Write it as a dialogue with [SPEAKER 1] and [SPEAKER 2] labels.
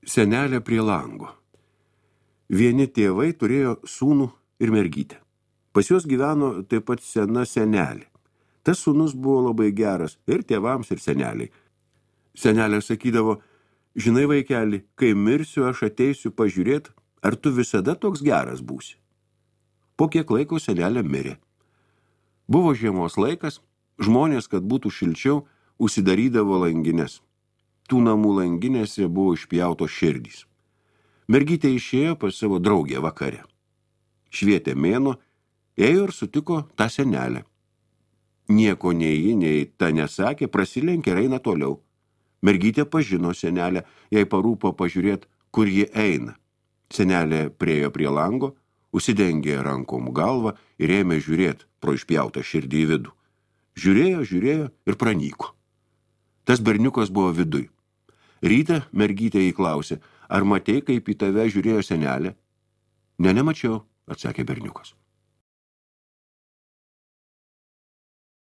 [SPEAKER 1] Senelė prie lango. Vieni tėvai turėjo sūnų ir mergytę. Pas juos gyveno taip pat sena senelė. Tas sūnus buvo labai geras ir tėvams, ir seneliai. Senelė sakydavo, žinai vaikeli, kai mirsiu, aš ateisiu pažiūrėti, ar tu visada toks geras būsi. Po kiek laiko senelė mirė. Buvo žiemos laikas, žmonės, kad būtų šilčiau, užsidarydavo langines. Tų namų langinėse buvo išpjautos širdys. Mergytė išėjo pas savo draugę vakare. Švietė mėnuo, ėjo ir sutiko tą senelę. Nieko nei ji, nei ta nesakė, prasilenkė ir eina toliau. Mergytė pažino senelę, jai parūpo pažiūrėti, kur ji eina. Senelė priėjo prie lango, užsidengė rankom galvą ir ėmė žiūrėti pro išpjautą širdį į vidų. Žiūrėjo ir pranyko. Tas berniukas buvo viduj. Rytą mergytė įklausė, ar matei, kaip į tave žiūrėjo senelė? Ne, nemačiau, atsakė berniukas.